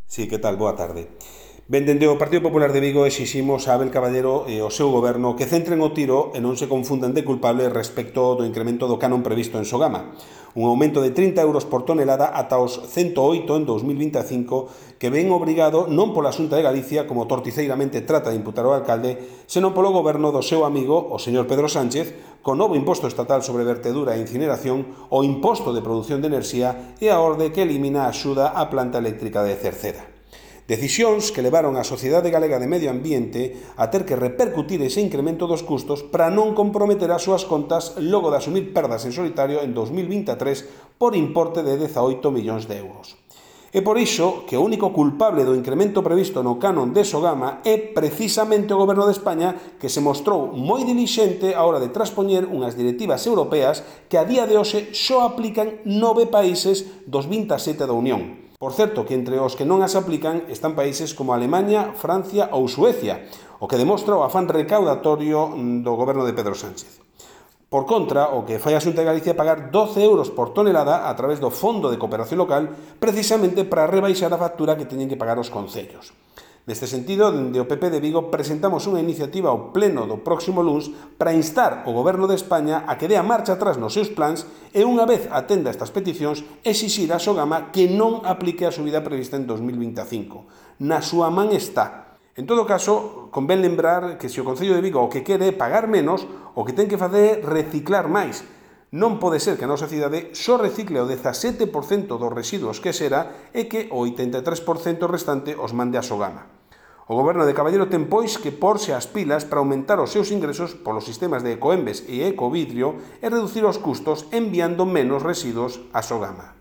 Sí, que tal? Boa tarde. Ben, dende o Partido Popular de Vigo exiximos a Abel Caballero e ao seu goberno que centren o tiro e non se confundan de culpables respecto do incremento do canon previsto en Sogama. Un aumento de 30 euros por tonelada ata os 108 en 2025 que ven obrigado non pola Xunta de Galicia, como torticeiramente trata de imputar o alcalde, senón polo goberno do seu amigo, o señor Pedro Sánchez, co novo imposto estatal sobre vertedura e incineración, o imposto de produción de enerxía e a orde que elimina a axuda á planta eléctrica de Cerceda. Decisións que levaron a Sociedade Galega de Medio Ambiente a ter que repercutir ese incremento dos custos para non comprometer as súas contas logo de asumir perdas en solitario en 2023 por importe de 18 millóns de euros. É por iso que o único culpable do incremento previsto no canon de Sogama é precisamente o Goberno de España, que se mostrou moi dilixente á hora de traspoñer unhas directivas europeas que a día de hoxe só aplican 9 países dos 27 da Unión. Por certo, que entre os que non as aplican están países como Alemaña, Francia ou Suecia, o que demostra o afán recaudatorio do goberno de Pedro Sánchez. Por contra, o que fai a Xunta de Galicia é pagar 12 euros por tonelada a través do Fondo de Cooperación Local, precisamente para rebaixar a factura que teñen que pagar os concellos. Neste sentido, dende o PP de Vigo presentamos unha iniciativa ao pleno do próximo luns para instar o Goberno de España a que dea marcha atrás nos seus plans e, unha vez atenda estas peticións, exixir a Sogama que non aplique a subida prevista en 2025. Na súa man está. En todo caso, convén lembrar que se o Concello de Vigo o que quere é pagar menos, o que ten que facer é reciclar máis. Non pode ser que a nosa cidade só recicle o 17% dos residuos que xera e que o 83% restante os mande a Sogama. O goberno de Caballero ten pois que porse as pilas para aumentar os seus ingresos polos sistemas de Ecoembes e Ecovidrio e reducir os custos enviando menos residuos a Sogama.